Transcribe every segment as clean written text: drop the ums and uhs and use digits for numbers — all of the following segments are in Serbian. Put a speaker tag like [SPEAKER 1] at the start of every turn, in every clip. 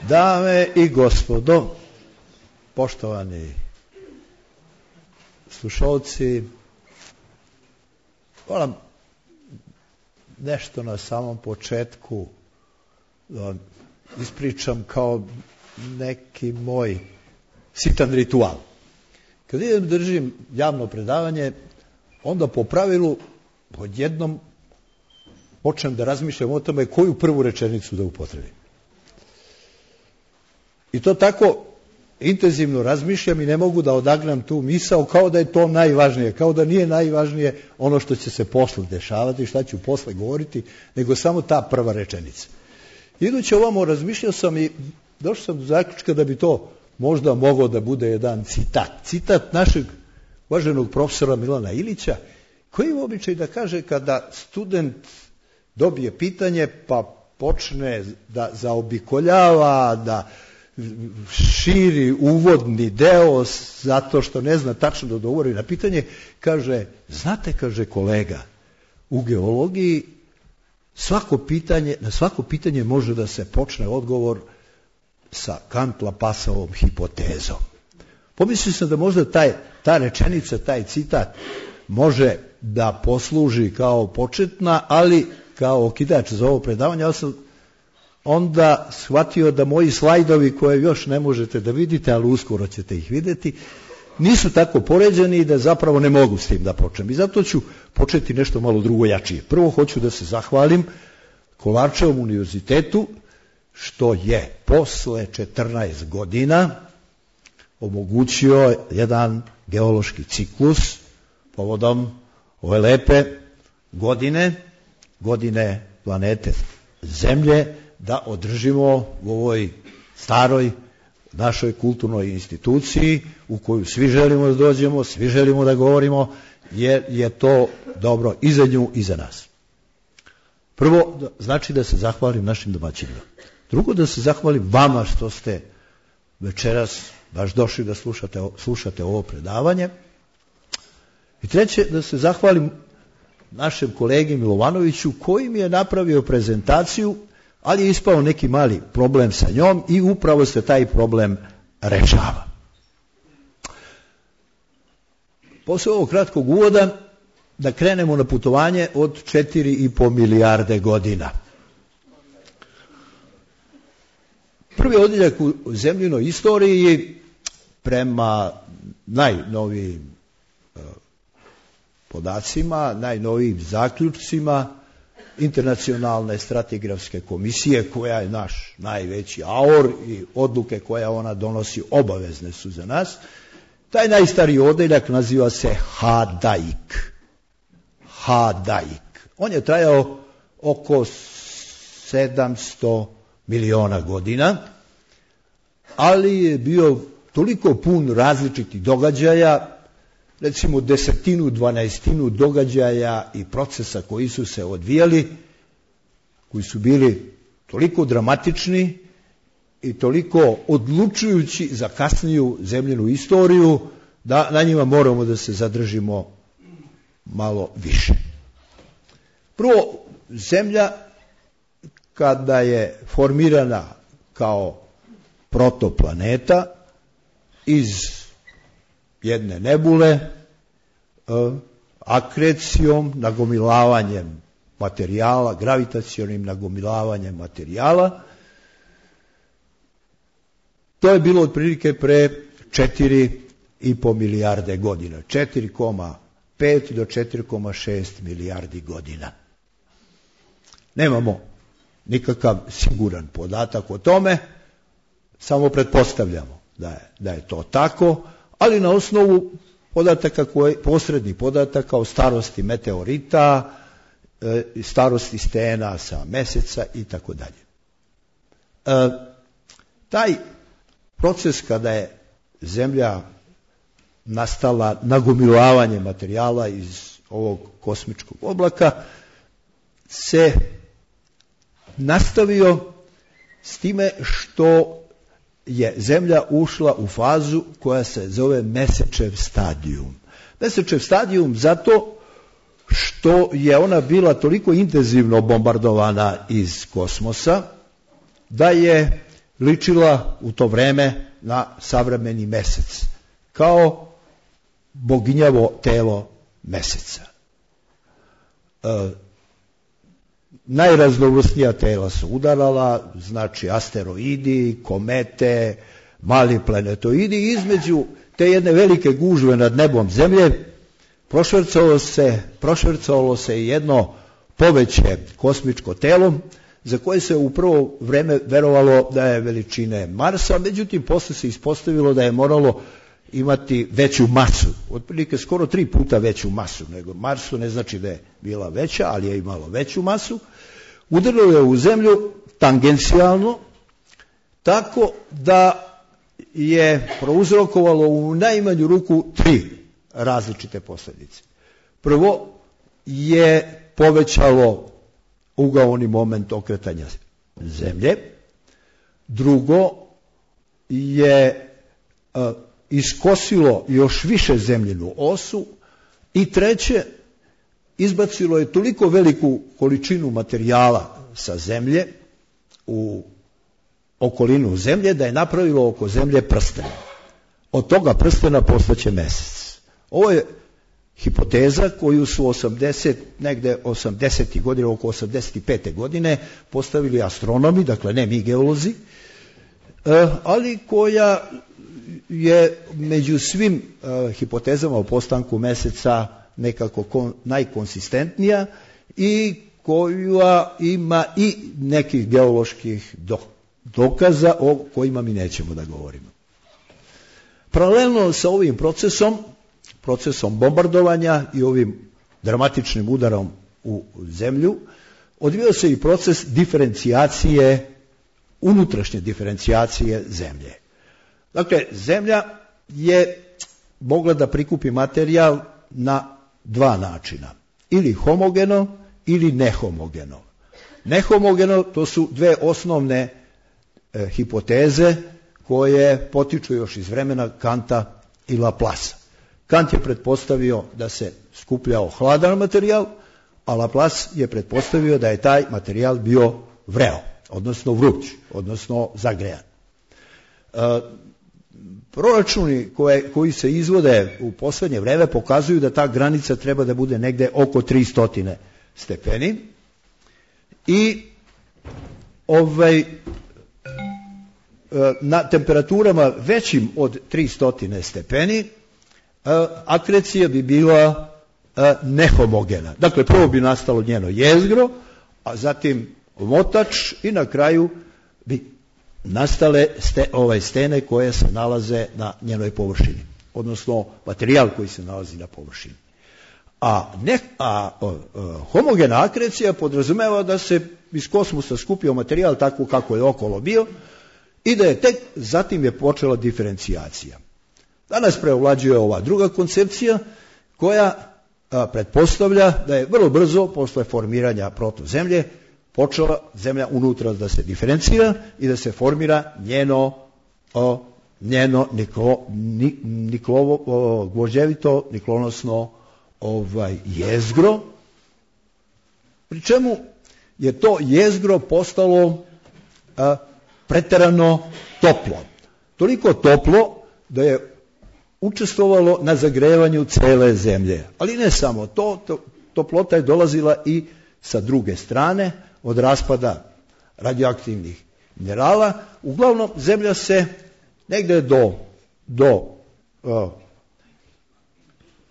[SPEAKER 1] Dame i gospodo, poštovani slušalci, moram nešto na samom početku da ispričam kao neki moj sitan ritual. Kad idem držim javno predavanje, onda po pravilu odjednom počnem da razmišljam o tome koju prvu rečenicu da upotrebim. I to tako intenzivno razmišljam i ne mogu da odagnam tu misao kao da je to najvažnije, kao da nije najvažnije ono što će se posle dešavati, šta ću posle govoriti, nego samo ta prva rečenica. Idući ovamo razmišljao sam i došao sam do zaključka da bi to možda mogao da bude jedan citat. Citat našeg uvaženog profesora Milana Ilića, koji ima običaj da kaže kada student dobije pitanje pa počne da zaobikoljava, da širi uvodni deo zato što ne zna tačno da odgovori na pitanje, kaže, znate, kaže kolega, u geologiji na svako pitanje može da se počne odgovor sa Kant-Lapassovom hipotezom. Pomislio sam da možda ta rečenica, taj citat može da posluži kao početna, ali kao okidač za ovo predavanje, ali sam onda shvatio da moji slajdovi koje još ne možete da vidite, ali uskoro ćete ih vidjeti, nisu tako poređeni i da zapravo ne mogu s tim da počnem. I zato ću početi nešto malo drugo jačije. Prvo hoću da se zahvalim Kolarčevom univerzitetu što je posle 14 godina omogućio jedan geološki ciklus povodom ove lepe godine planete Zemlje, da održimo u ovoj staroj našoj kulturnoj instituciji u koju svi želimo da dođemo, svi želimo da govorimo, jer je to dobro i za nju i za nas. Prvo, znači da se zahvalim našim domaćinima. Drugo, da se zahvalim vama što ste večeras baš došli da slušate ovo predavanje. I treće, da se zahvalim našem kolegi Milovanoviću koji mi je napravio prezentaciju, ali je ispao neki mali problem sa njom i upravo se taj problem rešava. Posle ovog kratkog uvoda da krenemo na putovanje od 4,5 milijarde godina. Prvi odjeljak u zemljinoj istoriji prema najnovijim podacima, najnovijim zaključcima Internacionalne stratigrafske komisije, koja je naš najveći aor i odluke koje ona donosi obavezne su za nas. Taj najstariji odeljak naziva se Hadaik. On je trajao oko 700 miliona godina, ali je bio toliko pun različitih događaja, recimo 10, 12 događaja i procesa koji su se odvijali, koji su bili toliko dramatični i toliko odlučujući za kasniju zemljinu istoriju, da na njima moramo da se zadržimo malo više. Prvo, Zemlja, kada je formirana kao protoplaneta iz jedne nebule, akrecijom, nagomilavanjem materijala, gravitacionim nagomilavanjem materijala. To je bilo otprilike pre 4,5 milijarde godina, 4,5 do 4,6 milijardi godina. Nemamo nikakav siguran podatak o tome, samo pretpostavljamo da je to tako, ali na osnovu podataka posrednih podataka o starosti meteorita, starosti stena sa Meseca i tako dalje. Taj proces kada je Zemlja nastala nagomilavanjem materijala iz ovog kosmičkog oblaka se nastavio s time što je Zemlja ušla u fazu koja se zove Mesečev stadijum. Mesečev stadijum zato što je ona bila toliko intenzivno bombardovana iz kosmosa da je ličila u to vreme na savremeni mesec, kao boginjavo telo meseca. Najraznovrsnija tela su udarala, znači asteroidi, komete, mali planetoidi. Između te jedne velike gužve nad nebom zemlje prošvercovalo se jedno poveće kosmičko telo za koje se u prvo vreme verovalo da je veličine Marsa, međutim posle se ispostavilo da je moralo imati veću masu, otprilike skoro 3 puta veću masu nego Marsu, ne znači da je bila veća, ali je imalo veću masu. Udarilo je u zemlju tangencijalno, tako da je prouzrokovalo u najmanju ruku 3 različite posljedice. Prvo je povećalo ugaoni moment okretanja zemlje. Drugo je iskosilo još više zemljinu osu. I treće, izbacilo je toliko veliku količinu materijala sa zemlje u okolinu zemlje da je napravilo oko zemlje prsten. Od toga prstena postaće mesec. Ovo je hipoteza koju su 80. godine, oko 85. godine postavili astronomi, dakle ne mi geolozi, ali koja je među svim hipotezama o postanku meseca nekako najkonsistentnija i koja ima i nekih geoloških dokaza o kojima mi nećemo da govorimo. Paralelno sa ovim procesom bombardovanja i ovim dramatičnim udarom u zemlju, odvijao se i proces diferencijacije, unutrašnje diferencijacije zemlje. Dakle, zemlja je mogla da prikupi materijal na 2 načina. Ili homogeno, ili nehomogeno. Nehomogeno, to su 2 osnovne hipoteze koje potiču još iz vremena Kanta i Laplaca. Kant je pretpostavio da se skupljao hladan materijal, a Laplace je pretpostavio da je taj materijal bio vreo, odnosno vruć, odnosno zagrejan. Proračuni koji se izvode u poslednje vreme pokazuju da ta granica treba da bude negde oko 300 stepeni i na temperaturama većim od 300 stepeni akrecija bi bila nehomogena. Dakle, prvo bi nastalo njeno jezgro, a zatim omotač i na kraju bi nastale stene koje se nalaze na njenoj površini, odnosno materijal koji se nalazi na površini. A homogena akrecija podrazumeva da se iz kosmosa skupio materijal tako kako je okolo bio i da je tek zatim je počela diferencijacija. Danas preovlađuje ova druga koncepcija koja pretpostavlja da je vrlo brzo posle formiranja protozemlje počela zemlja unutra da se diferencira i da se formira njeno gvožđevito niklonosno jezgro, pri čemu je to jezgro postalo preterano toplo. Toliko toplo da je učestvovalo na zagrevanju cele zemlje. Ali ne samo to, toplota je dolazila i sa druge strane, od raspada radioaktivnih minerala. Uglavnom, zemlja se negde do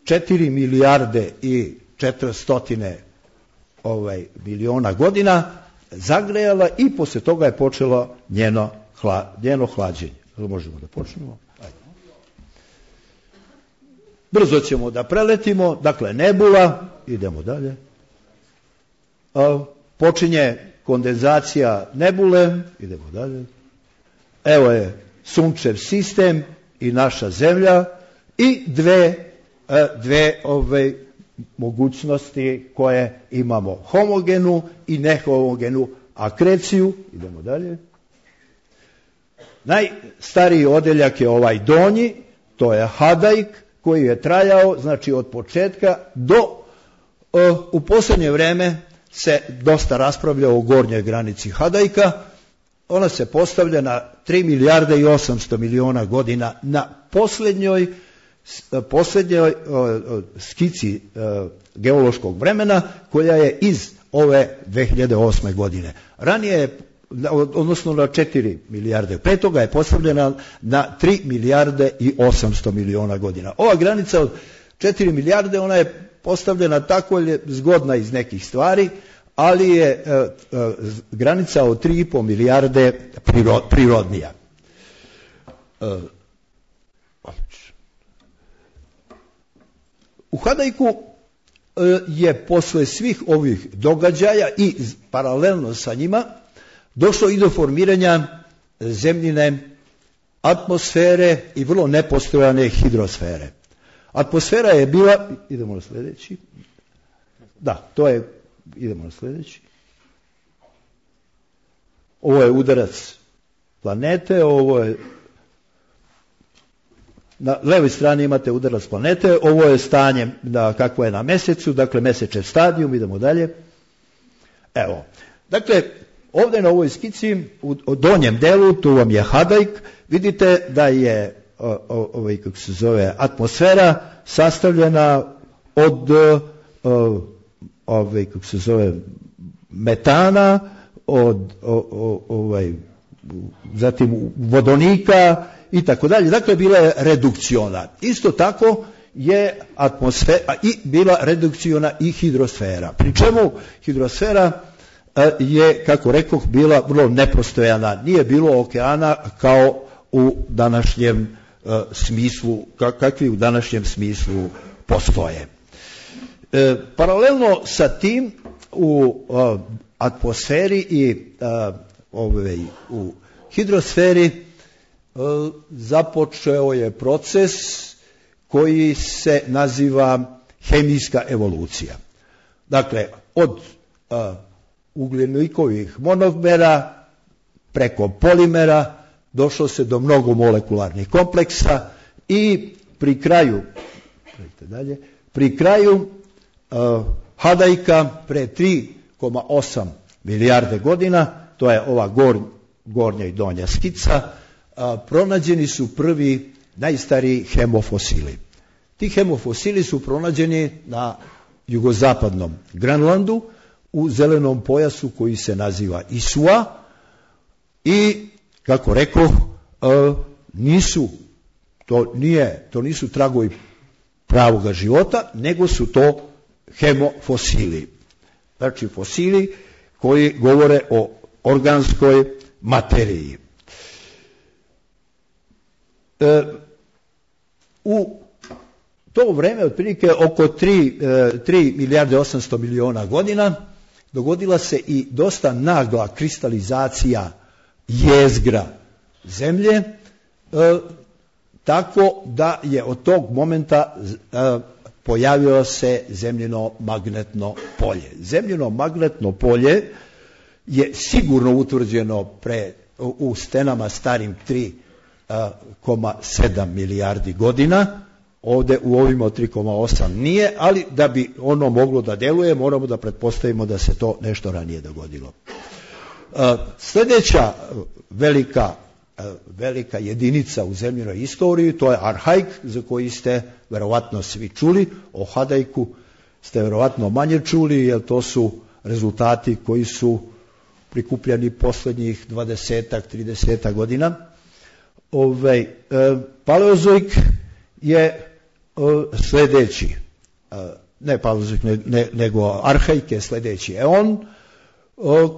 [SPEAKER 1] 4 milijarde i 400 miliona godina zagrejala i posle toga je počelo njeno hlađenje. Možemo da počnemo? Ajde. Brzo ćemo da preletimo, dakle nebula, idemo dalje. Počinje kondenzacija nebule, idemo dalje. Evo je sunčev sistem i naša zemlja i dve mogućnosti koje imamo, homogenu i nehomogenu akreciju. Idemo dalje. Najstariji odeljak je ovaj donji, to je Hadaik, koji je trajao, znači od početka do u poslednje vreme se dosta raspravlja o gornjoj granici Hadaika ona se postavlja na 3 milijarde i 800 miliona godina na posljednjoj skici geološkog vremena koja je iz ove 2008. godine. Ranije, odnosno na 4 milijarde. Pre toga je postavljena na 3 milijarde i 800 miliona godina. Ova granica od 4 milijarde, ona je postavljena tako zgodna iz nekih stvari, ali je granica od 3,5 milijarde prirodnija. U Hadajku je posle svih ovih događaja i paralelno sa njima došlo i do formiranja zemljine atmosfere i vrlo nepostojane hidrosfere. Atmosfera je bila, idemo na sljedeći, da, to je, idemo na sljedeći, ovo je udarac planete, ovo je, na levoj strani imate udarac planete, ovo je stanje kakvo je na Mesecu, dakle mesečev stadijum, idemo dalje. Evo, dakle, ovdje na ovoj skici, u donjem delu, tu vam je Hadajk, vidite da je kako se zove, atmosfera sastavljena od kako se zove, metana, od zatim vodonika i tako dalje. Dakle, bila je redukciona. Isto tako je atmosfera i bila redukciona i hidrosfera. Pri čemu hidrosfera je, kako rekoh, bila vrlo nepostojana. Nije bilo okeana kao u današnjem smislu, kakvi u današnjem smislu postoje. Paralelno sa tim u atmosferi i u hidrosferi započeo je proces koji se naziva hemijska evolucija. Dakle, od ugljenikovih monomera preko polimera došlo se do mnogo molekularnih kompleksa i pri kraju Hadajka pre 3,8 milijarde godina, to je ova gornja i donja skica, pronađeni su prvi najstariji hemofosili. Ti hemofosili su pronađeni na jugozapadnom Grenlandu u zelenom pojasu koji se naziva Isua i, kako rekoh, to nisu tragovi pravoga života, nego su to hemofosili. Znači fosili koji govore o organskoj materiji. U to vreme, otprilike oko 3 milijarde 800 miliona godina, dogodila se i dosta nagla kristalizacija jezgra zemlje, tako da je od tog momenta pojavilo se zemljino magnetno polje. Zemljino magnetno polje je sigurno utvrđeno u stenama starim 3,7 milijardi godina. Ovdje u ovim od 3,8 nije, ali da bi ono moglo da deluje, moramo da pretpostavimo da se to nešto ranije dogodilo. Sljedeća velika jedinica u zemljinoj istoriji, to je Arhaik, za koji ste verovatno svi čuli. O Hadajku ste verovatno manje čuli, jer to su rezultati koji su prikupljani posljednjih 20-30 godina. Paleozoik je sljedeći, ne Paleozoik, nego Arhaik je sljedeći eon,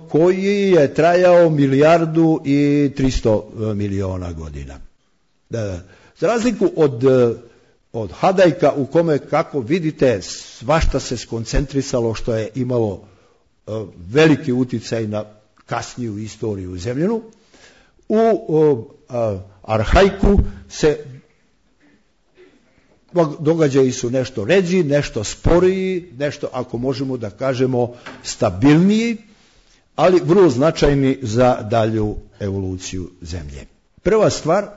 [SPEAKER 1] koji je trajao 1,3 milijardi godina. Za razliku od Hadajka, u kome, kako vidite, svašta se skoncentrisalo, što je imalo veliki uticaj na kasniju istoriju zemljinu, u Arhaiku se događaji su nešto ređi, nešto sporiji, nešto, ako možemo da kažemo, stabilniji, ali vrlo značajni za dalju evoluciju zemlje. Prva stvar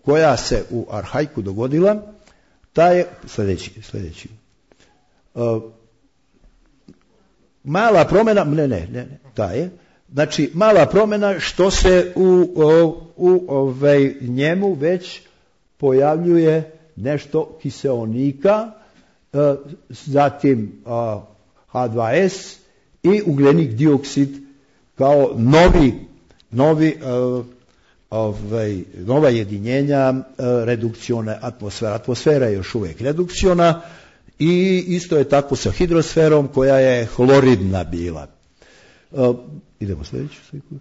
[SPEAKER 1] koja se u Arhaiku dogodila, ta je sljedeći. Mala promjena, ta je Znači, mala promjena što se u njemu već pojavljuje nešto kiseonika, zatim H2S i ugljenik dioksid kao nova jedinjenja redukcione atmosfere. Atmosfera je još uvijek redukciona i isto je tako sa hidrosferom koja je hloridna bila. Idemo sljedeću sliku.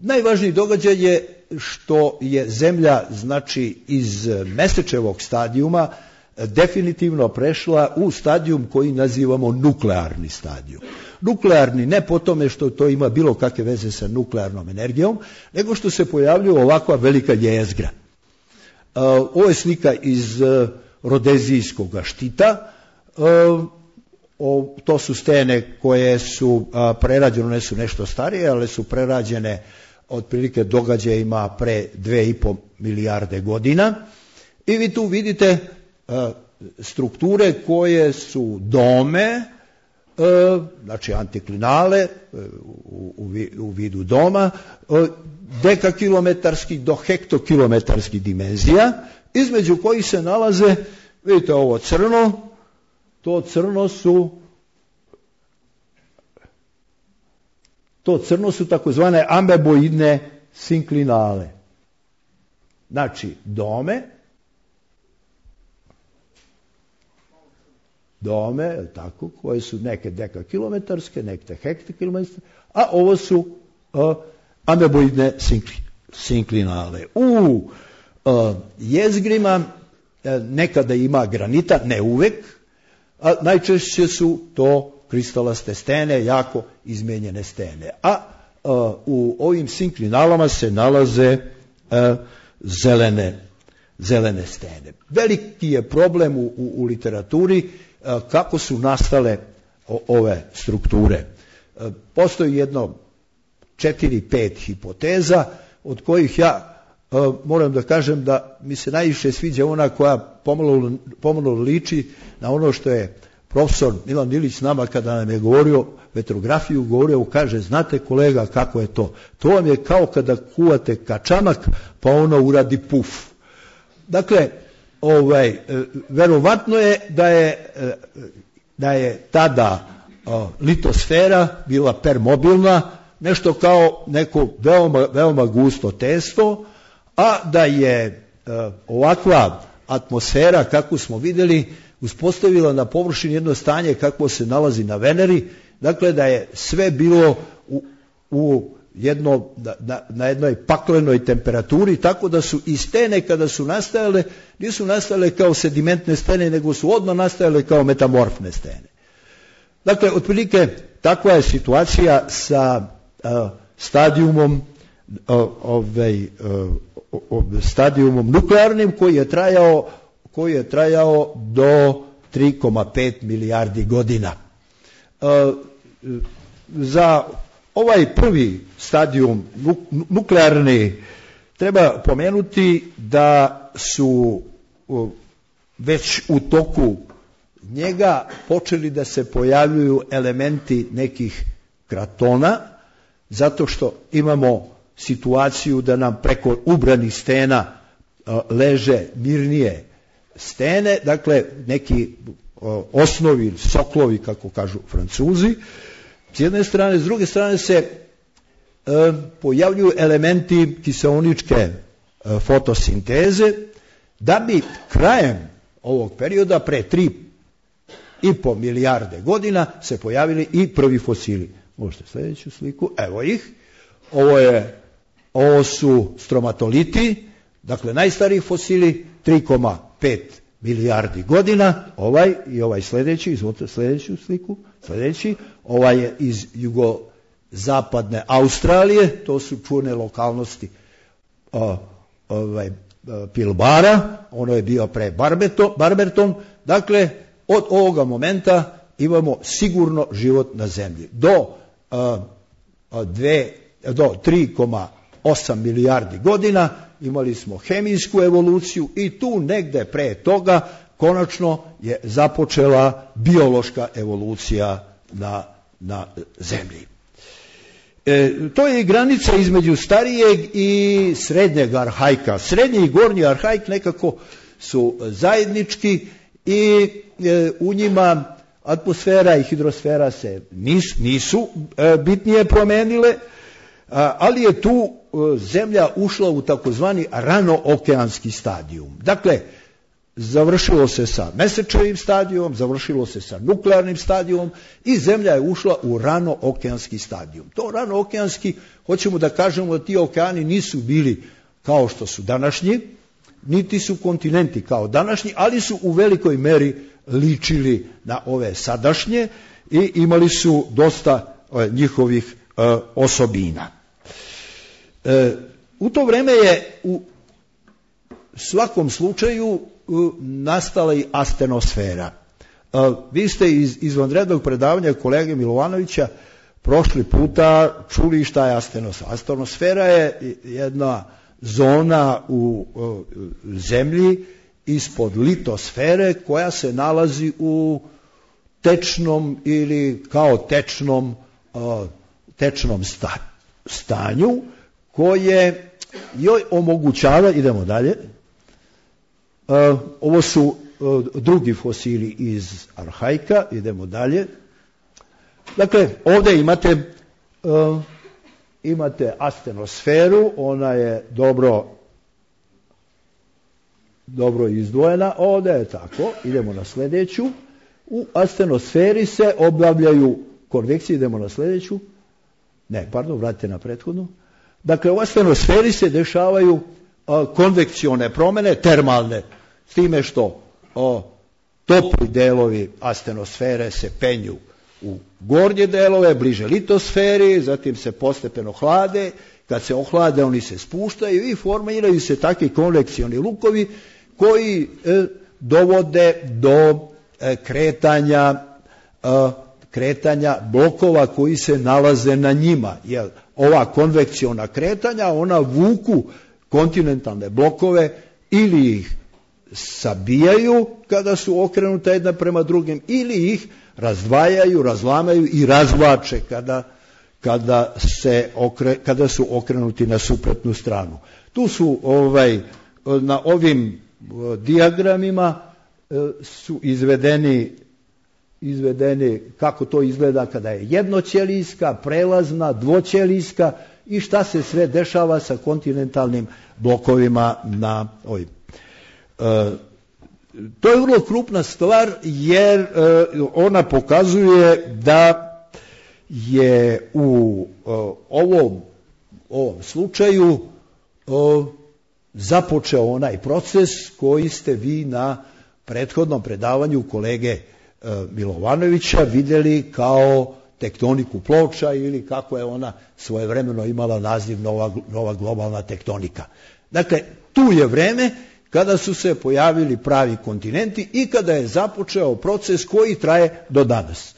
[SPEAKER 1] Najvažniji događaj je što je Zemlja, znači, iz Mesečevog stadijuma definitivno prešla u stadijum koji nazivamo nuklearni stadijum. Nuklearni ne po tome što to ima bilo kakve veze sa nuklearnom energijom, nego što se pojavljuje ovakva velika jezgra. Ovo je slika iz Rodezijskog štita. To su stene koje su prerađene, one su nešto starije, ali su prerađene otprilike događajima pre 2,5 milijarde godina. I vi tu vidite strukture koje su dome, znači antiklinale u vidu doma, dekakilometarskih do hektokilometarskih dimenzija, između kojih se nalaze, vidite ovo crno, to crno su takozvane ameboidne sinklinale. Znači dome, tako, koje su neke dekakilometarske, neke hektokilometarske, a ovo su ameboidne sinklinale. U jezgrima nekada ima granita, ne uvek, a najčešće su to kristalaste stene, jako izmenjene stene. A u ovim sinklinalama se nalaze zelene stene. Veliki je problem u literaturi kako su nastale ove strukture. Postoji jedno 4-5 hipoteza, od kojih ja moram da kažem da mi se najviše sviđa ona koja pomalo liči na ono što je profesor Milan Ilić nama kada nam je govorio vetrografiju, kaže, znate kolega kako je to? To vam je kao kada kuvate kačamak pa ono uradi puf. Dakle, verovatno je da je tada litosfera bila permobilna, nešto kao neko veoma gusto testo, a da je ovakva atmosfera, kakvu smo vidjeli, uspostavila na površini jedno stanje kakvo se nalazi na Veneri, dakle da je sve bilo na jednoj paklenoj temperaturi, tako da su i stene kada su nastajale, nisu nastajale kao sedimentne stene, nego su odmah nastajale kao metamorfne stene. Dakle, otprilike takva je situacija sa stadijumom nuklearnim koji je trajao do 3,5 milijardi godina. Za ovaj prvi stadijum nuklearni treba pomenuti da su već u toku njega počeli da se pojavljuju elementi nekih kratona, zato što imamo situaciju da nam preko ubranih stena leže mirnije stene, dakle neki osnovi, soklovi, kako kažu Francuzi, s jedne strane. S druge strane se pojavljuju elementi kiseoničke fotosinteze, da bi krajem ovog perioda, pre 3,5 milijarde godina, se pojavili i prvi fosili. Možete sljedeću sliku, evo ih. Ovo su stromatoliti, dakle najstariji fosili, 3,5 milijardi godina, ovaj sljedeći, izvolite sljedeću sliku, ovaj je iz jugozapadne Australije, to su čuvene lokalnosti Pilbara, ono je bio pre Barberton, dakle od ovoga momenta imamo sigurno život na zemlji. Do 3,8 milijardi godina imali smo hemijsku evoluciju i tu negde pre toga konačno je započela biološka evolucija na zemlji. To je granica između starijeg i srednjeg arhajka. Srednji i gornji arhajk nekako su zajednički i u njima atmosfera i hidrosfera se nisu bitnije promenile, ali je tu zemlja ušla u takozvani ranookeanski stadijum. Dakle, završilo se sa mesečevim stadijom, završilo se sa nuklearnim stadijom i zemlja je ušla u ranookeanski stadijum. To ranookeanski, hoćemo da kažemo da ti okeani nisu bili kao što su današnji, niti su kontinenti kao današnji, ali su u velikoj meri ličili na ove sadašnje i imali su dosta njihovih osobina. U to vreme je u svakom slučaju nastala i astenosfera. Vi ste iz izvanrednog predavanja kolege Milovanovića prošli puta čuli šta je astenosfera. Astenosfera je jedna zona u zemlji ispod litosfere koja se nalazi u tečnom ili kao tečnom stanju koje joj omogućava, idemo dalje, ovo su drugi fosili iz arhajka, idemo dalje. Dakle, ovdje imate astenosferu, ona je dobro izdvojena, ovdje je tako, idemo na sljedeću. U astenosferi se obavljaju konvekcije, idemo na sljedeću. Vratite na prethodnu. Dakle, u astenosferi se dešavaju konvekcione promjene, termalne, s time što topli delovi astenosfere se penju u gornje delove, bliže litosferi, zatim se postepeno hlade, kad se ohlade oni se spuštaju i formiraju se takvi konvekcioni lukovi koji dovode do kretanja blokova koji se nalaze na njima. Jer ova konvekciona kretanja, ona vuku kontinentalne blokove ili ih sabijaju kada su okrenute jedna prema drugim ili ih razdvajaju, razlamaju i razvlače kada su okrenuti na suprotnu stranu. Tu su na ovim dijagramima su izvedeni kako to izgleda kada je jednoćelijska, prelazna, dvoćelijska i šta se sve dešava sa kontinentalnim blokovima na ovim. To je vrlo krupna stvar jer ona pokazuje da je u ovom slučaju započeo onaj proces koji ste vi na prethodnom predavanju kolege Milovanovića vidjeli kao tektoniku ploča ili kako je ona svojevremeno imala naziv nova globalna tektonika. Dakle, tu je vreme kada su se pojavili pravi kontinenti i kada je započeo proces koji traje do danas.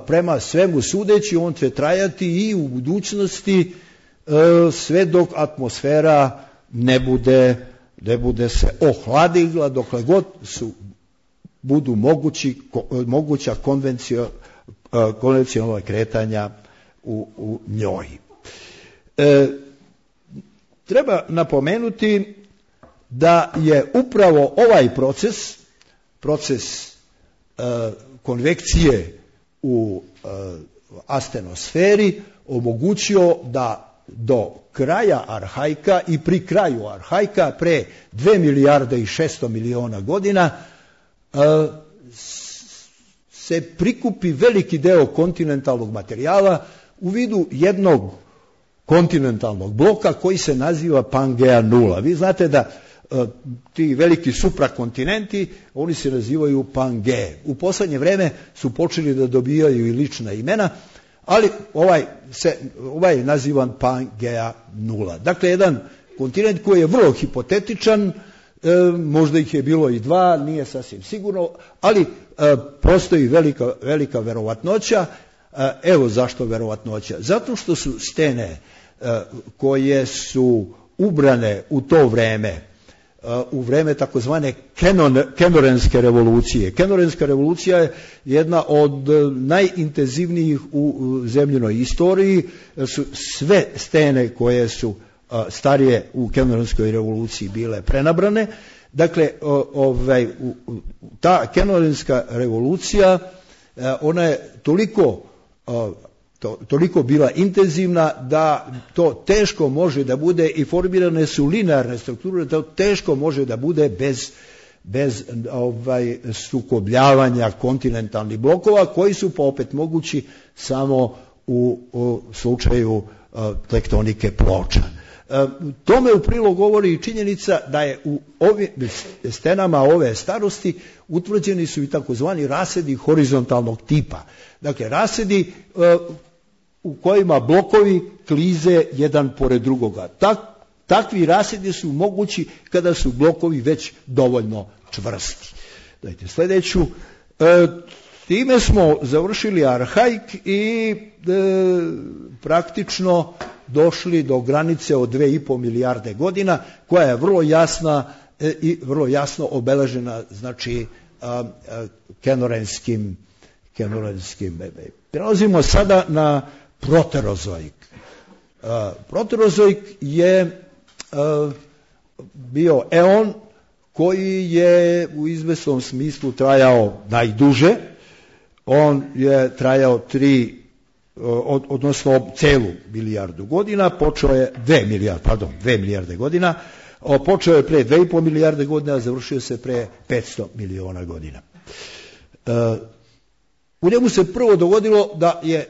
[SPEAKER 1] Prema svemu sudeći, on će trajati i u budućnosti sve dok atmosfera ne bude se ohladila, dokle god budu moguća konvencionalna kretanja u njoj. Treba napomenuti da je upravo ovaj proces konvekcije u astenosferi omogućio da do kraja arhajka i pri kraju arhajka pre 2 milijarde i 600 miliona godina se prikupi veliki deo kontinentalnog materijala u vidu jednog kontinentalnog bloka koji se naziva Pangea nula. Vi znate da ti veliki suprakontinenti, oni se nazivaju Pangeje. U posljednje vreme su počeli da dobijaju i lična imena, ali ovaj je nazivan Pangea nula. Dakle, jedan kontinent koji je vrlo hipotetičan, možda ih je bilo i dva, nije sasvim sigurno, ali postoji velika verovatnoća. Evo zašto verovatnoća. Zato što su stene koje su ubrane u to vreme u vreme takozvane Kenorenske revolucije. Kenorenska revolucija je jedna od najintenzivnijih u zemljinoj istoriji. Su sve stene koje su starije u Kenorenskoj revoluciji bile prenabrane. Dakle, ta Kenorenska revolucija, ona je toliko bila intenzivna da to teško može da bude, i formirane su linearne strukture, da to teško može da bude bez sukobljavanja kontinentalnih blokova, koji su pa opet mogući samo u slučaju tektonike ploča. Tome u prilog govori i činjenica da je u ovim stenama ove starosti utvrđeni su i takozvani rasedi horizontalnog tipa. Dakle, rasedi u kojima blokovi klize jedan pored drugoga. Takvi rasedi su mogući kada su blokovi već dovoljno čvrsti. Dajte sljedeću. Time smo završili arhaik i praktično došli do granice od 2,5 milijarde godina, koja je vrlo jasna i vrlo jasno obeležena, znači kenorenskim. Prelazimo sada na proterozoik. Proterozoik je bio eon koji je u izvesnom smislu trajao najduže. On je trajao odnosno celu milijardu godina, počeo je 2 milijarde godina, počeo je pre 2,5 milijarde godina, a završio se pre 500 miliona godina. U njemu se prvo dogodilo da je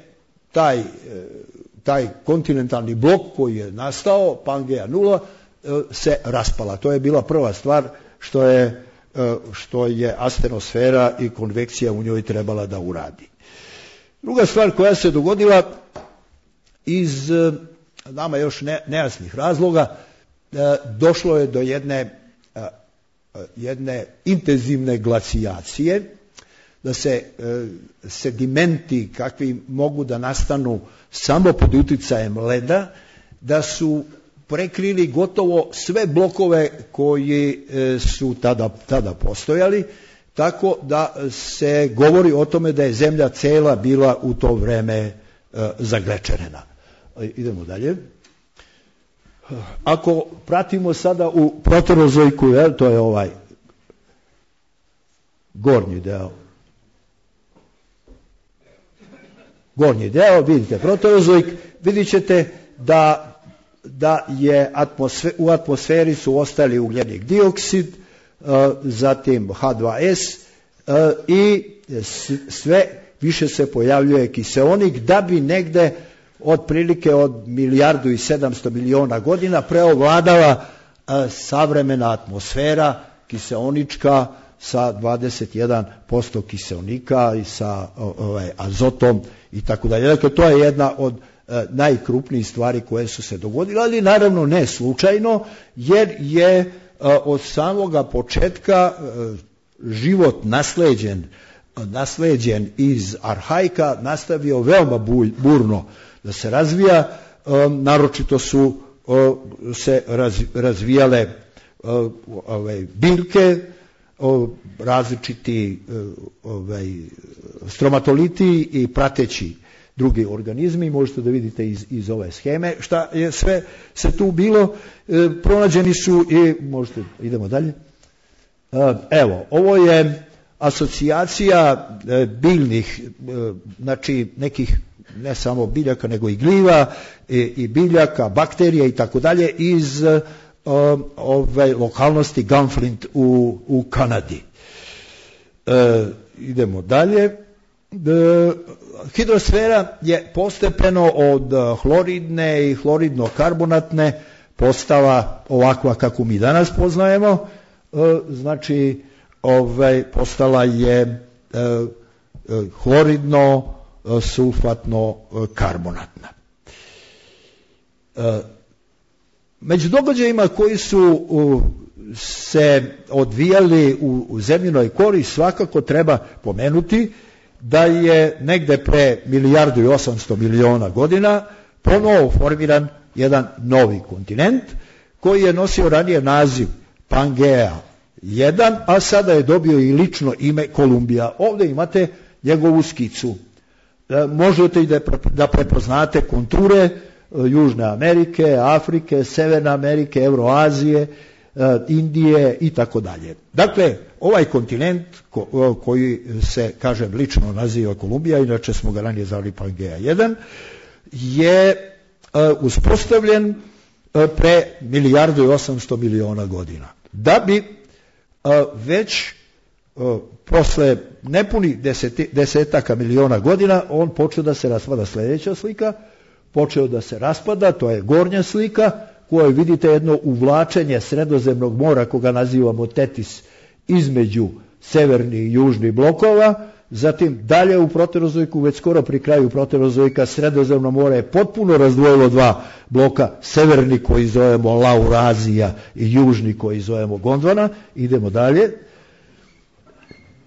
[SPEAKER 1] taj kontinentalni blok koji je nastao, Pangea nula, se raspala. To je bila prva stvar što je astenosfera i konvekcija u njoj trebala da uradi. Druga stvar koja se dogodila iz nama još nejasnih razloga, došlo je do jedne intenzivne glacijacije, da se sedimenti kakvi mogu da nastanu samo pod uticajem leda, da su prekrili gotovo sve blokove koji su tada postojali, tako da se govori o tome da je zemlja cela bila u to vreme zaglečerena. Idemo dalje. Ako pratimo sada u proterozoiku, to je ovaj gornji deo, vidite proterozoik, vidit ćete da je u atmosferi su ostali ugljenik dioksid, zatim H2S i sve više se pojavljuje kiseonik, da bi negde otprilike od 1,7 milijardi godina preovladala savremena atmosfera kiseonička sa 21% kiseonika i sa azotom i tako dalje. Dakle, to je jedna od najkrupnijih stvari koje su se dogodile, ali naravno ne slučajno, jer je od samoga početka život nasleđen iz arhaika nastavio veoma burno da se razvija. Naročito su se razvijale biljke, različiti stromatoliti i prateći drugi organizmi. Možete da vidite iz ove sheme šta je sve se tu bilo. Pronađeni su i idemo dalje. Evo, ovo je asocijacija biljnih, znači nekih ne samo biljaka nego i gljiva i biljaka, bakterija i tako dalje iz lokalnosti Gunflint u Kanadi. Idemo dalje. Hidrosfera je postepeno od hloridne i hloridno-karbonatne postala ovakva kako mi danas poznajemo, znači postala je hloridno-sulfatno-karbonatna. Među događajima koji su se odvijali u zemljinoj kori svakako treba pomenuti da je negde pre 1,8 milijardi godina ponovo formiran jedan novi kontinent koji je nosio ranije naziv Pangea 1, a sada je dobio i lično ime Kolumbija. Ovdje imate njegovu skicu. Možete i da prepoznate konture Južne Amerike, Afrike, Severne Amerike, Euroazije, Indije i tako dalje. Dakle, ovaj kontinent koji se, kažem, lično naziva Kolumbija, inače smo ga ranije zvali Pangea 1, je uspostavljen pre 1.800.000.000 godina. Da bi već posle nepunih desetaka miliona godina on počeo da se raspada. Sljedeća slika, počeo da se raspada, to je gornja slika, kojoj vidite jedno uvlačenje Sredozemnog mora, koga nazivamo Tetis, između severnih i južnih blokova. Zatim dalje u proterozojku, već skoro pri kraju proterozojka, Sredozemno more je potpuno razdvojilo dva bloka, severni koji zovemo Laurazija i južni koji zovemo Gondwana. Idemo dalje.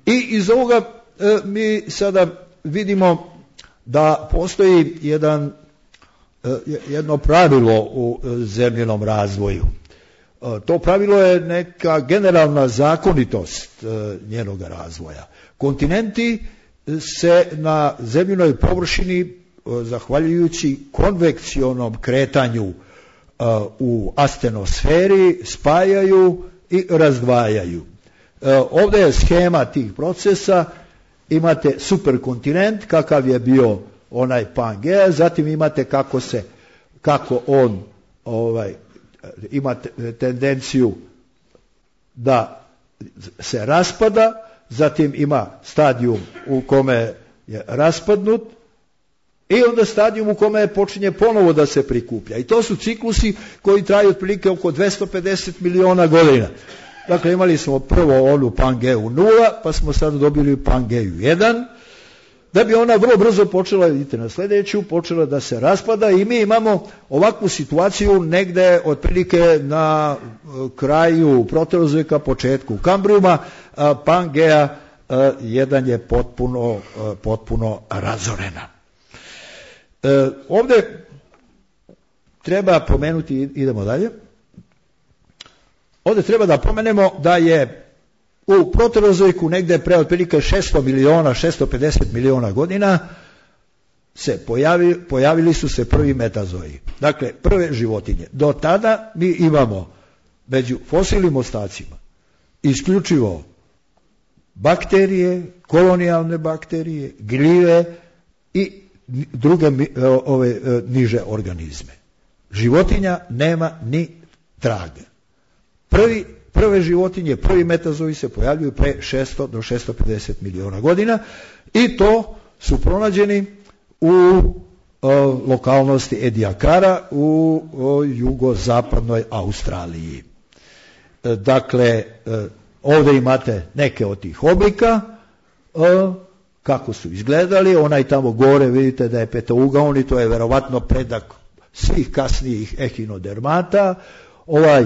[SPEAKER 1] I iz ovoga mi sada vidimo da postoji jedno pravilo u zemljenom razvoju. To pravilo je neka generalna zakonitost njenog razvoja. Kontinenti se na zemljinoj površini, zahvaljujući konvekcionom kretanju u astenosferi, spajaju i razdvajaju. Ovdje je schema tih procesa. Imate superkontinent, kakav je bio onaj Pangea, zatim imate kako on ima tendenciju da se raspada, zatim ima stadijum u kome je raspadnut i onda stadijum u kome počinje ponovo da se prikuplja. I to su ciklusi koji traju otprilike oko 250 miliona godina. Dakle, imali smo prvo onu Pangeu 0, pa smo sad dobili Pangeu 1, da bi ona vrlo brzo počela, vidite na sljedeću, počela da se raspada i mi imamo ovakvu situaciju negde otprilike na kraju proterozojka, početku Kambrijuma. Pangea 1 je potpuno razorena. Ovdje treba pomenuti, idemo dalje, ovdje treba da pomenemo da je u proterozojku negde pre otprilike 650 miliona godina se pojavili su se prvi metazoji. Dakle, prve životinje. Do tada mi imamo među fosilnim ostacima isključivo bakterije, kolonijalne bakterije, gljive i druge niže organizme. Životinja nema ni traga. Prve životinje, prvi metazoji se pojavljuju pre 600 do 650 miliona godina i to su pronađeni u lokalnosti Ediacara u jugozapadnoj Australiji. Dakle, ovdje imate neke od tih oblika, kako su izgledali. Onaj tamo gore vidite da je petougaoni, to je verovatno predak svih kasnijih ehinodermata. Ovaj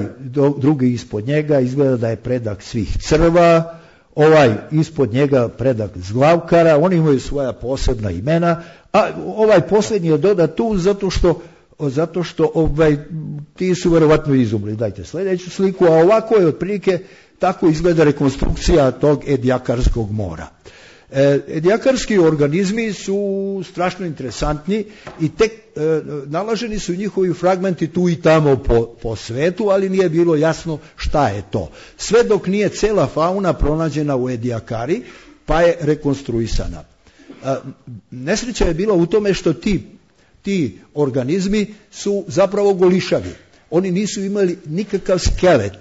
[SPEAKER 1] drugi ispod njega izgleda da je predak svih crva, ovaj ispod njega predak zglavkara, oni imaju svoja posebna imena, a ovaj posljednji je dodat tu zato što ti su verovatno izumrli. Dajte sljedeću sliku, a ovako je otprilike, tako izgleda rekonstrukcija tog Ediakarskog mora. Ediakarski organizmi su strašno interesantni i tek nalaženi su njihovi fragmenti tu i tamo po svetu, ali nije bilo jasno šta je to. Sve dok nije cela fauna pronađena u Ediakari, pa je rekonstruisana. Nesreća je bila u tome što ti organizmi su zapravo golišavi. Oni nisu imali nikakav skelet,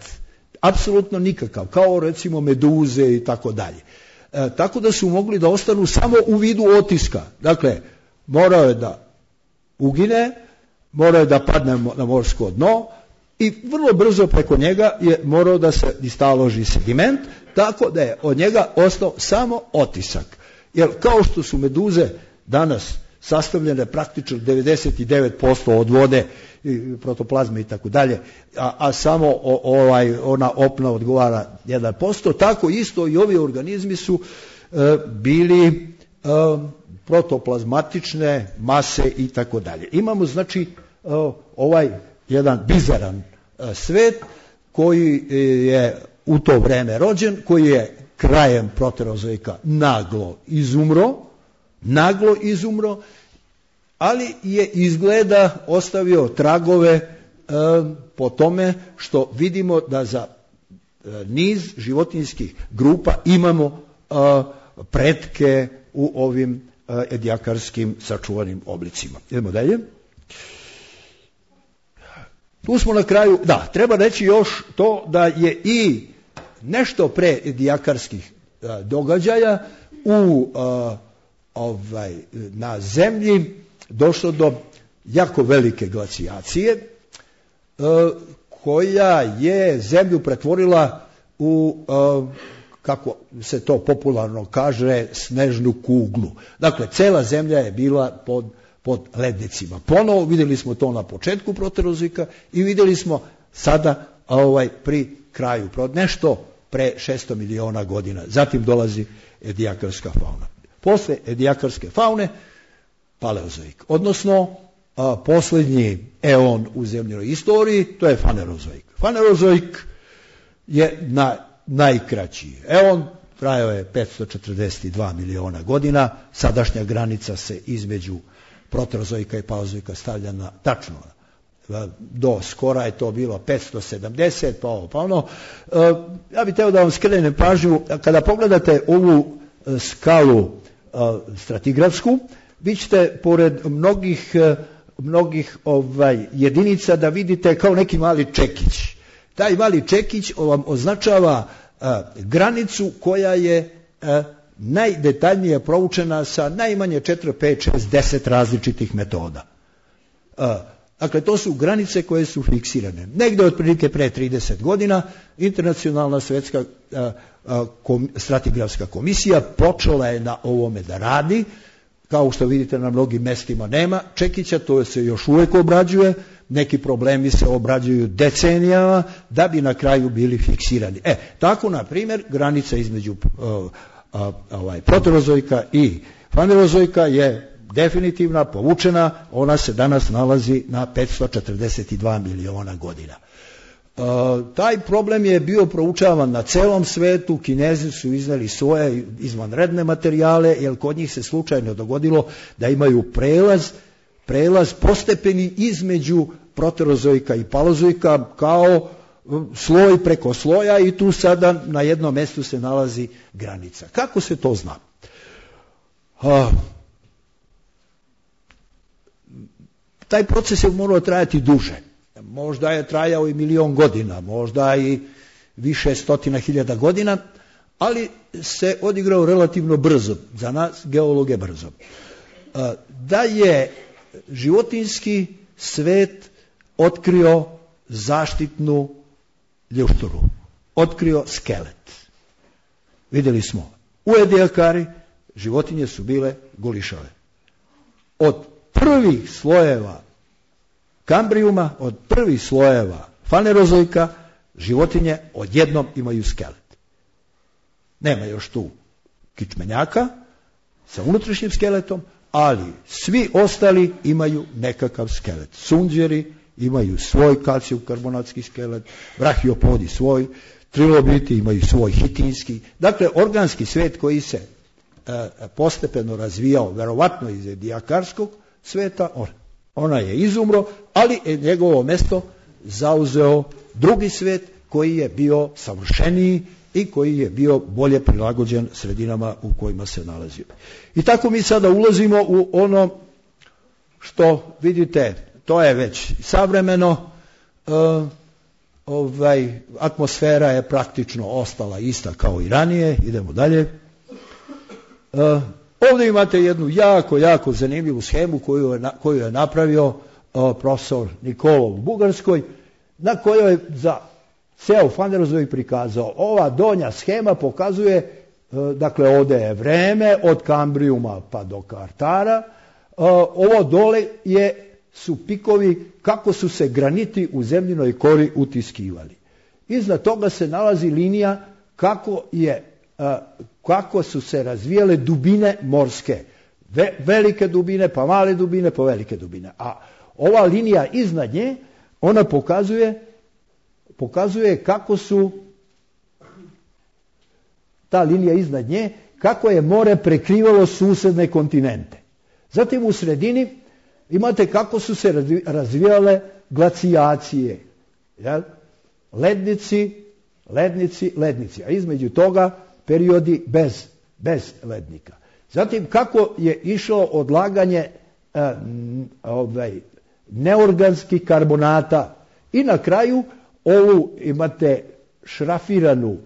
[SPEAKER 1] apsolutno nikakav, kao recimo meduze i tako dalje. Tako da su mogli da ostanu samo u vidu otiska. Dakle, morao je da ugine, morao je da padne na morsko dno i vrlo brzo preko njega je morao da se istaloži sediment, tako da je od njega ostao samo otisak. Jer kao što su meduze danas sastavljene praktično 99% od vode, protoplazme i tako dalje, a samo ona opna odgovara 1%, tako isto i ovi organizmi su bili protoplazmatične mase i tako dalje. Imamo znači ovaj jedan bizaran svet koji je u to vreme rođen, koji je krajem proterozoika naglo izumro, ali je izgleda ostavio tragove po tome što vidimo da za niz životinjskih grupa imamo pretke u ovim edijakarskim sačuvanim oblicima. Idemo dalje. Tu smo na kraju, treba reći još to da je i nešto pre edijakarskih događaja na zemlji došlo do jako velike glacijacije koja je zemlju pretvorila u, kako se to popularno kaže, snežnu kuglu. Dakle, cela zemlja je bila pod lednicima. Ponovo vidjeli smo to na početku proterozoika i vidjeli smo sada pri kraju, nešto pre 600 miliona godina. Zatim dolazi edijakarska fauna. Posle edijakarske faune paleozoik, odnosno posljednji eon u zemljinoj istoriji, to je fanerozoik. Fanerozoik je najkraći eon, trajao je 542 miliona godina, sadašnja granica se između proterozoika i paleozoika stavlja na tačno do skora je to bilo 570, pa ono. Ja bih htio da vam skrenem pažnju, kada pogledate ovu skalu stratigrafsku, vi ćete pored mnogih jedinica da vidite kao neki mali čekić. Taj mali čekić vam označava granicu koja je najdetaljnije proučena sa najmanje 4, 5, 6, 10 različitih metoda. Dakle, to su granice koje su fiksirane. Negde otprilike pre 30 godina Internacionalna svetska stratigrafska komisija počela je na ovome da radi. Kao što vidite, na mnogim mestima nema čekića, to se još uvek obrađuje, neki problemi se obrađuju decenijama da bi na kraju bili fiksirani. Tako, na primjer, granica između proterozoika i fanerozoika je definitivna, povučena, ona se danas nalazi na 542 miliona godina. Taj problem je bio proučavan na celom svetu, Kinezi su izneli svoje izvanredne materijale, jer kod njih se slučajno dogodilo da imaju prelaz postepeni između proterozoika i paleozoika kao sloj preko sloja i tu sada na jednom mjestu se nalazi granica. Kako se to zna? Taj proces je morao trajati duže. Možda je trajao i 1.000.000 godina, možda i više stotina hiljada godina, ali se odigrao relativno brzo, za nas geologe brzo. Da je životinjski svet otkrio zaštitnu ljušturu, otkrio skelet. Vidjeli smo, u edijakari životinje su bile golišave. Od prvih slojeva kambrijuma, od prvih slojeva fanerozoika, životinje odjednom imaju skelet. Nema još tu kičmenjaka sa unutrašnjim skeletom, ali svi ostali imaju nekakav skelet. Sunđeri imaju svoj kalcijum-karbonatski skelet, brahiopodi svoj, trilobiti imaju svoj hitinski. Dakle, organski svet koji se postepeno razvijao, verovatno iz edijakarskog sveta, ona je izumro, ali je njegovo mesto zauzeo drugi svet koji je bio savršeniji i koji je bio bolje prilagođen sredinama u kojima se nalazio. I tako mi sada ulazimo u ono što vidite, to je već savremeno, atmosfera je praktično ostala ista kao i ranije, idemo dalje. Ovdje imate jednu jako zanimljivu schemu koju je napravio profesor Nikolov u Bugarskoj, na kojoj je za ceo fanerozoik prikazao. Ova donja schema pokazuje, dakle ovdje je vreme od Kambrijuma pa do Kartara, ovo dole su pikovi kako su se graniti u zemljinoj kori utiskivali. Iznad toga se nalazi linija kako su se razvijale dubine morske. Velike dubine, pa male dubine, pa velike dubine. A ova linija iznad nje, ona pokazuje pokazuje kako su, ta linija iznad nje, kako je more prekrivalo susedne kontinente. Zatim u sredini imate kako su se razvijale glacijacije. Jel? Lednici, a između toga periodi bez lednika. Zatim kako je išlo odlaganje neorganskih karbonata i na kraju ovu imate šrafiranu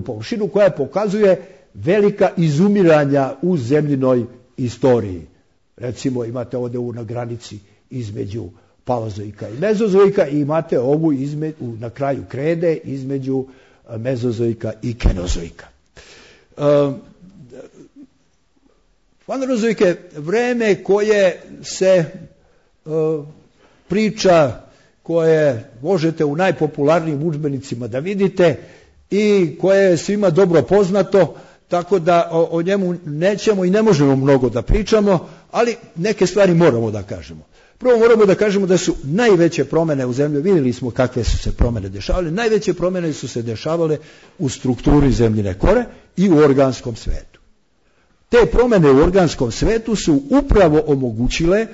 [SPEAKER 1] površinu koja pokazuje velika izumiranja u zemljinoj istoriji. Recimo imate ovdje na granici između paleozoika i mezozoika i imate ovu na kraju krede između mezozoika i kenozoika. Fanerozoik je vreme koje se priča, koje možete u najpopularnijim udžbenicima da vidite i koje je svima dobro poznato, tako da o njemu nećemo i ne možemo mnogo da pričamo, ali neke stvari moramo da kažemo. Prvo moramo da kažemo da su najveće promjene u zemlji, vidjeli smo kakve su se promjene dešavale, najveće promjene su se dešavale u strukturi zemljine kore i u organskom svetu. Te promjene u organskom svetu su upravo omogućile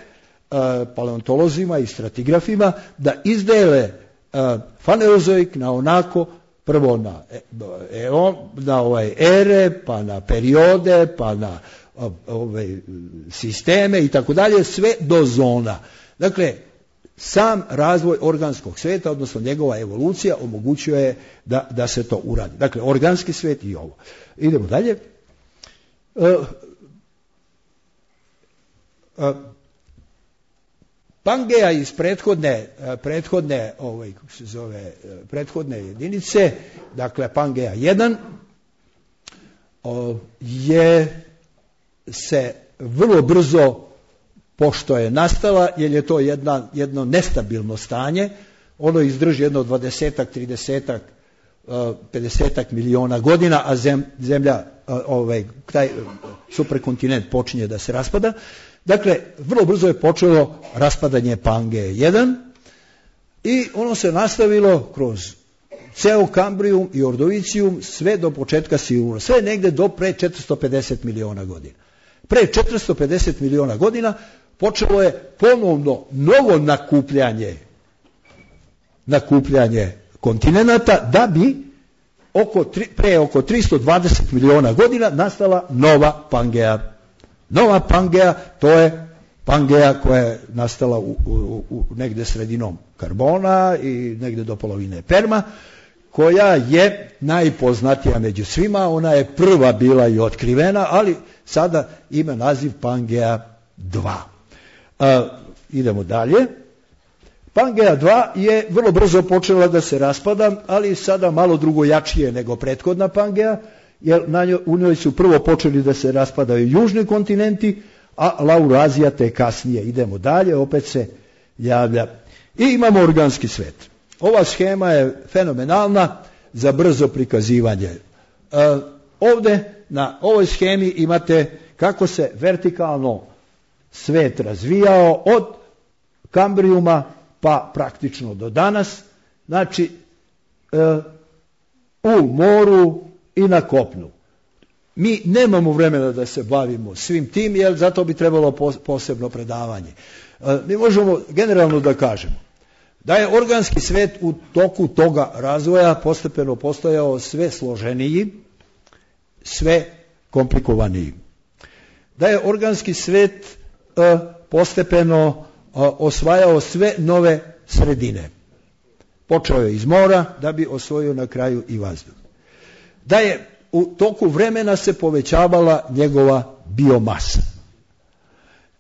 [SPEAKER 1] paleontolozima i stratigrafima da izdele fanerozoik na onako, prvo na ere, pa na periode, pa na sisteme i tako dalje, sve do zona. Dakle, sam razvoj organskog sveta, odnosno njegova evolucija, omogućuje da se to uradi. Dakle, organski svet i ovo. Idemo dalje. Pangea iz prethodne jedinice, dakle Pangea 1, je se vrlo brzo, pošto je nastala, jer je to jedno nestabilno stanje, ono izdrži jedno 20-ak, 30-ak, 50-ak miliona godina, a zemlja, taj superkontinent počinje da se raspada. Dakle, vrlo brzo je počelo raspadanje Pangee 1 i ono se nastavilo kroz ceo Kambrijum i Ordovicijum sve do početka Silura, sve negde do pre 450 miliona godina. Pre 450 miliona godina počelo je ponovno novo nakupljanje kontinenata, da bi pre oko 320 miliona godina nastala nova Pangea. Nova Pangea, to je Pangea koja je nastala u negde sredinom Karbona i negde do polovine Perma, koja je najpoznatija među svima, ona je prva bila i otkrivena, ali sada ima naziv Pangea 2. Idemo dalje. Pangea 2 je vrlo brzo počela da se raspada, ali sada malo drugojačije nego prethodna Pangea, jer u njoj su prvo počeli da se raspadaju južni kontinenti, a Laurazija te kasnije. Idemo dalje, opet se javlja. I imamo organski svet. Ova schema je fenomenalna za brzo prikazivanje. Ovdje na ovoj schemi imate kako se vertikalno svet razvijao od Kambrijuma pa praktično do danas. Znači, u moru i na kopnu. Mi nemamo vremena da se bavimo svim tim, jer zato bi trebalo posebno predavanje. Mi možemo generalno da kažemo da je organski svet u toku toga razvoja postepeno postajao sve složeniji, sve komplikovaniji. Da je organski svet postepeno osvajao sve nove sredine. Počeo je iz mora da bi osvojio na kraju i vazduh. Da je u toku vremena se povećavala njegova biomasa.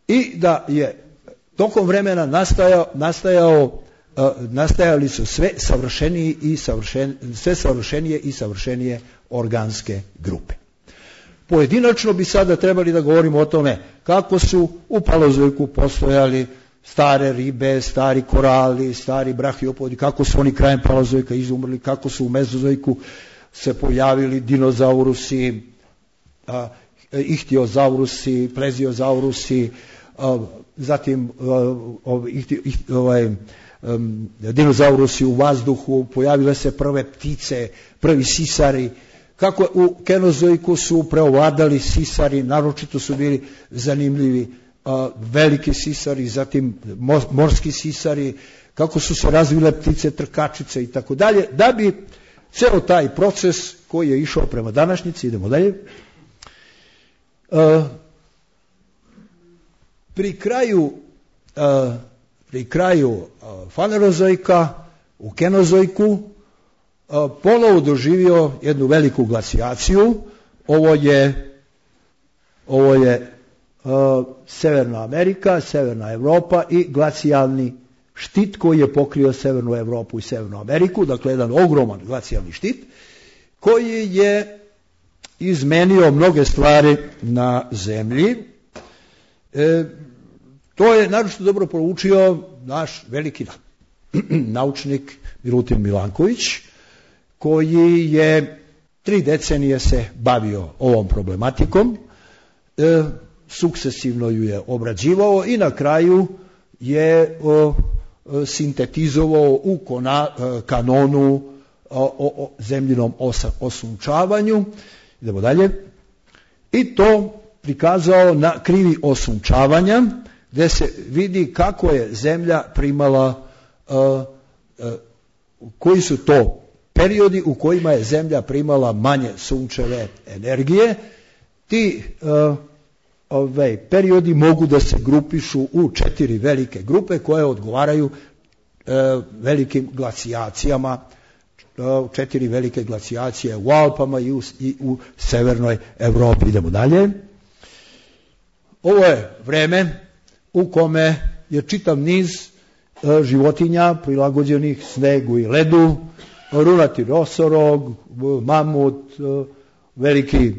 [SPEAKER 1] I da je tokom vremena nastajali su sve savršenije i savršenije organske grupe. Pojedinačno bi sada trebali da govorimo o tome kako su u paleozoiku postojali stare ribe, stari korali, stari brahiopodi, kako su oni krajem paleozoika izumrli, kako su u mezozoiku se pojavili dinozaurusi, ihtiozaurusi, pleziozaurusi, zatim dinozaurusi u vazduhu, pojavile se prve ptice, prvi sisari, kako u Kenozoiku su preovladali sisari, naročito su bili zanimljivi veliki sisari, zatim morski sisari, kako su se razvile ptice, trkačice i tako dalje, da bi ceo taj proces koji je išao prema današnjici, idemo dalje, pri kraju Fanerozoika u Kenozoiku ponovo doživio jednu veliku glacijaciju. Ovo je Severna Amerika, Severna Evropa i glacijalni štit koji je pokrio Severnu Evropu i Severnu Ameriku, dakle jedan ogroman glacijalni štit koji je izmenio mnoge stvari na zemlji. To je naročito dobro proučio naš veliki naučnik Milutin Milanković, koji je 3 decenije se bavio ovom problematikom, sukcesivno ju je obrađivao i na kraju je sintetizovao u kanonu o zemljinom osunčavanju. Idemo dalje. I to prikazao na krivi osunčavanja, gde se vidi kako je zemlja primala, koji su to periodi u kojima je zemlja primala manje sunčeve energije. Ti periodi mogu da se grupišu u 4 velike grupe koje odgovaraju velikim glacijacijama, 4 velike glacijacije u Alpama i u Severnoj Evropi. Idemo dalje. Ovo je vreme u kome je čitav niz životinja prilagođenih snegu i ledu, runati nosorog, mamut, veliki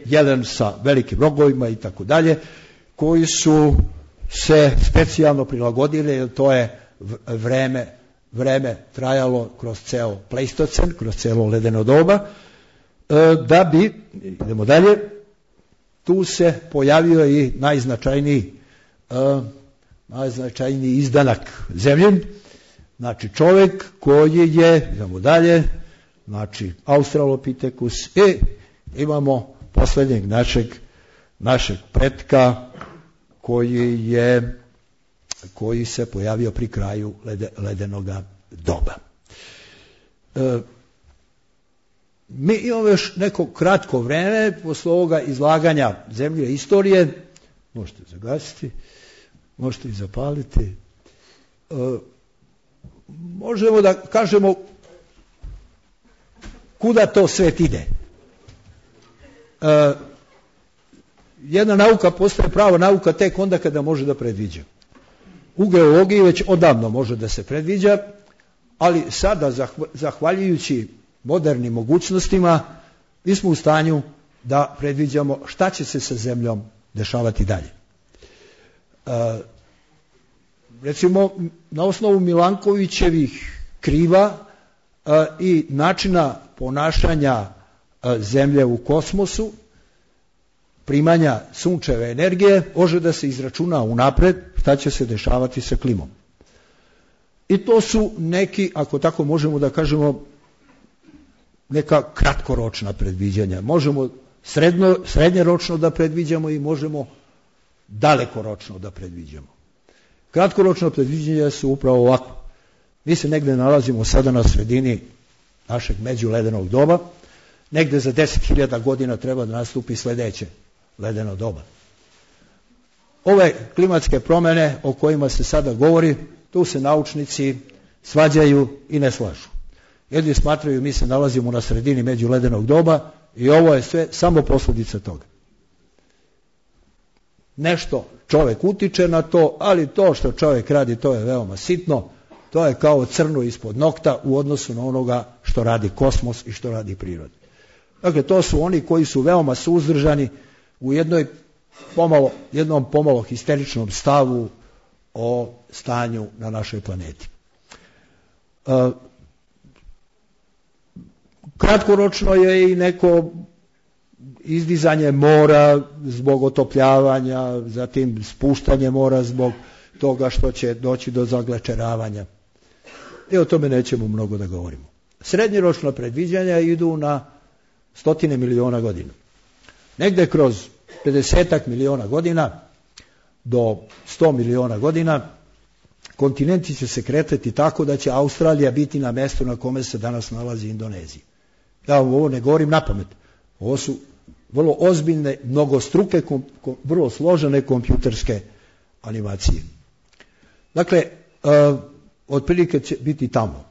[SPEAKER 1] jelen sa velikim rogovima i tako dalje, koji su se specijalno prilagodili, jer to je vreme trajalo kroz ceo Pleistocen, kroz celo ledeno doba, da bi, idemo dalje, tu se pojavio i najznačajniji izdanak zemlje, znači čovjek koji je, idemo dalje, znači Australopithecus, i imamo posljednjeg našeg pretka koji se pojavio pri kraju ledenog doba. Mi imamo još neko kratko vreme posle ovoga izlaganja zemlje istorije, možete zagasiti, možete i zapaliti. Možemo da kažemo kuda to svet ide. Jedna nauka postaje prava nauka tek onda kada može da predviđa. U geologiji već odavno može da se predviđa, ali sada, zahvaljujući modernim mogućnostima, mi smo u stanju da predviđamo šta će se sa zemljom dešavati dalje. Recimo, na osnovu Milankovićevih kriva i načina ponašanja zemlje u kosmosu, primanja sunčeve energije, može da se izračuna unapred šta će se dešavati sa klimom. I to su neki, ako tako možemo da kažemo, neka kratkoročna predviđanja. Možemo srednjeročno da predviđamo i možemo dalekoročno da predviđamo. Kratkoročno predviđanja su upravo ovako. Mi se negde nalazimo sada na sredini našeg međuledenog doba, negde za 10.000 godina treba da nastupi sledeće ledeno doba. Ove klimatske promene o kojima se sada govori, tu se naučnici svađaju i ne slažu. Jedni smatraju mi se nalazimo na sredini međuledenog doba i ovo je sve samo posljedica toga. Nešto čovjek utiče na to, ali to što čovjek radi, to je veoma sitno, to je kao crno ispod nokta u odnosu na onoga što radi kosmos i što radi priroda. Dakle, to su oni koji su veoma suzdržani u jednom pomalo histeričnom stavu o stanju na našoj planeti. Kratkoročno je i neko izdizanje mora zbog otopljavanja, zatim spuštanje mora zbog toga što će doći do zaglačeravanja. I o tome nećemo mnogo da govorimo. Srednjoročna predviđanja idu na 100 miliona godina. Negde kroz 50 miliona godina do 100 miliona godina kontinenti će se kretati tako da će Australija biti na mjestu na kome se danas nalazi Indonezija. Ja vam ovo ne govorim napamet. Ovo su vrlo ozbiljne, mnogostruke, vrlo složene kompjuterske animacije. Dakle, otprilike će biti tamo.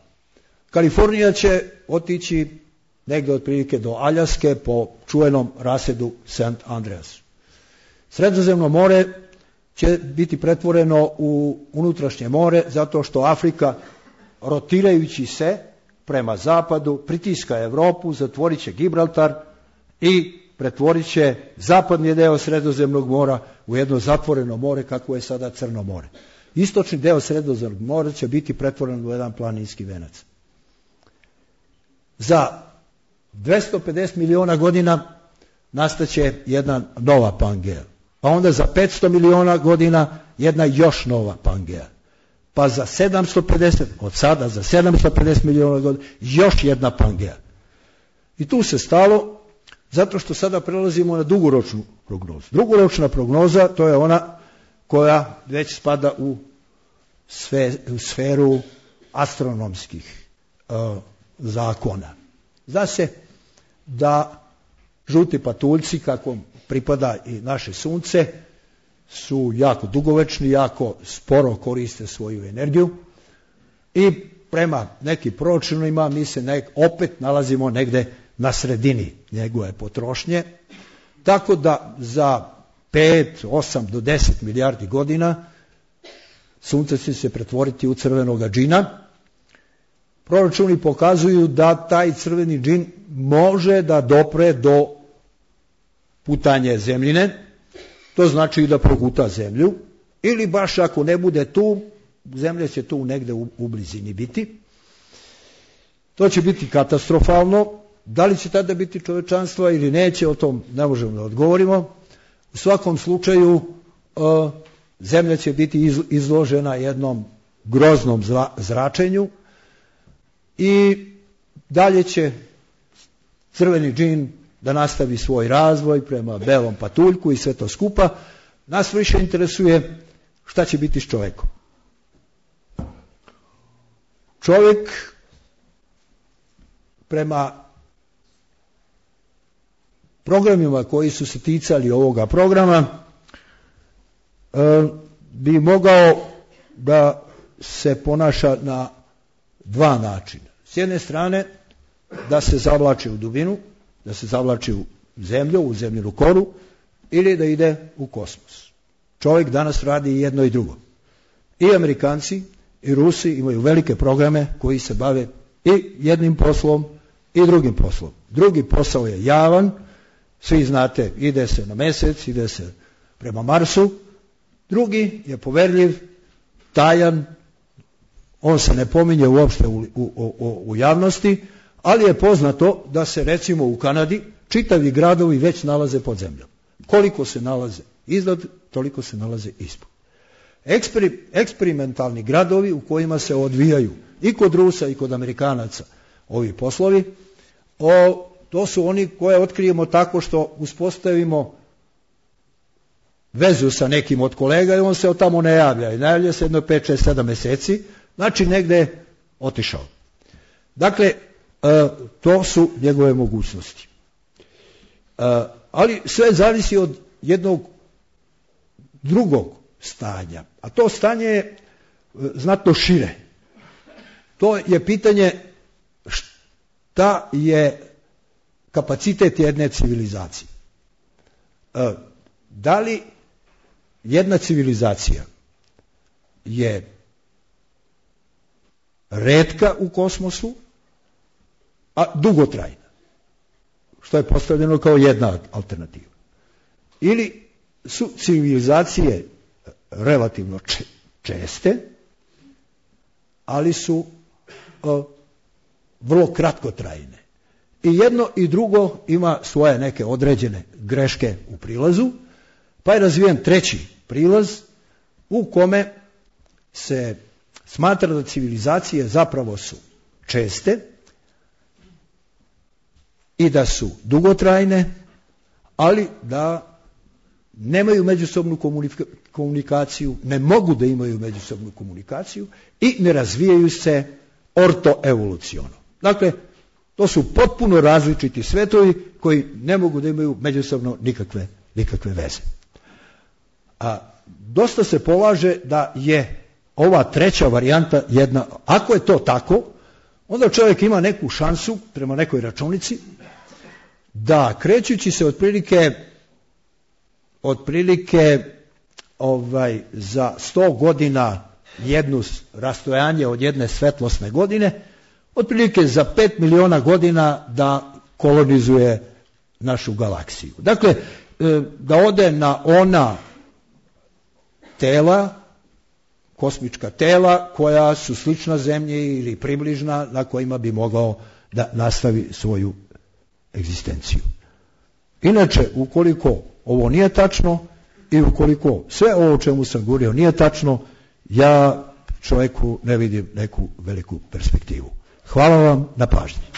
[SPEAKER 1] Kalifornija će otići negdje otprilike do Aljaske po čuvenom rasedu St. Andreas. Sredozemno more će biti pretvoreno u unutrašnje more zato što Afrika, rotirajući se prema zapadu, pritiska Europu, zatvorit će Gibraltar i pretvorit će zapadni deo Sredozemnog mora u jedno zatvoreno more kako je sada Crno more. Istočni deo Sredozemnog mora će biti pretvoren u jedan planinski venac. Za 250 miliona godina nastaće jedna nova Pangea. Pa onda za 500 miliona godina jedna još nova Pangea. Pa za 750, od sada za 750 miliona godina, još jedna Pangea. I tu se stalo, zato što sada prelazimo na dugoročnu prognozu. Dugoročna prognoza, to je ona koja već spada u sferu astronomskih zakona. Zna se da žuti patuljci, kako pripada i naše sunce, su jako dugovečni, jako sporo koriste svoju energiju i prema nekim proračunima mi se opet nalazimo negde na sredini njegove potrošnje, tako da za 5, 8 do 10 milijardi godina sunce će se pretvoriti u crvenoga džina. Proračuni pokazuju da taj crveni džin može da dopre do putanje zemljine, to znači da proguta zemlju, ili baš ako ne bude tu, zemlja će tu negde u blizini biti. To će biti katastrofalno. Da li će tada biti čovečanstva ili neće, o tom ne možemo da odgovorimo. U svakom slučaju zemlja će biti izložena jednom groznom zračenju i dalje će crveni džin da nastavi svoj razvoj prema belom patuljku i sve to skupa. Nas više interesuje šta će biti s čovekom. Čovjek prema programima koji su se ticali ovoga programa bi mogao da se ponaša na dva načina. S jedne strane da se zavlači u dubinu, da se zavlači u zemlju, u zemljinu koru, ili da ide u kosmos. Čovjek danas radi i jedno i drugo. I Amerikanci i Rusi imaju velike programe koji se bave i jednim poslom i drugim poslom. Drugi posao je javan, svi znate, ide se na Mesec, ide se prema Marsu. Drugi je poverljiv, tajan, on se ne pominje uopšte u javnosti, ali je poznato da se recimo u Kanadi čitavi gradovi već nalaze pod zemljom. Koliko se nalaze iznad, toliko se nalaze ispod. Eksperimentalni gradovi u kojima se odvijaju i kod Rusa i kod Amerikanaca ovi poslovi, to su oni koje otkrijemo tako što uspostavimo vezu sa nekim od kolega i on se od tamo ne javlja. I ne javlja se jedno 5, 6, 7 meseci, znači negde je otišao. Dakle, to su njegove mogućnosti. Ali sve zavisi od jednog drugog stanja, a to stanje je znatno šire. To je pitanje šta je kapacitet jedne civilizacije. Da li jedna civilizacija je retka u kosmosu, a dugotrajna, što je postavljeno kao jedna alternativa. Ili su civilizacije relativno česte, ali su vrlo kratkotrajne. I jedno i drugo ima svoje neke određene greške u prilazu, pa je razvijen treći prilaz u kome se smatra da civilizacije zapravo su česte i da su dugotrajne, ali da nemaju međusobnu komunikaciju, ne mogu da imaju međusobnu komunikaciju i ne razvijaju se ortoevoluciono. Dakle, to su potpuno različiti svetovi koji ne mogu da imaju međusobno nikakve veze. A dosta se polaže da je ova treća varijanta jedna, ako je to tako, onda čovjek ima neku šansu prema nekoj računici da krećući se otprilike za 100 godina jednu rastojanje od jedne svetlosne godine, otprilike za 5 miliona godina da kolonizuje našu galaksiju. Dakle, da ode na ona tela, kosmička tela koja su slična Zemlji ili približna, na kojima bi mogao da nastavi svoju egzistenciju. Inače, ukoliko ovo nije tačno i ukoliko sve ovo o čemu sam govorio nije tačno, ja čovjeku ne vidim neku veliku perspektivu. Hvala vam na pažnji.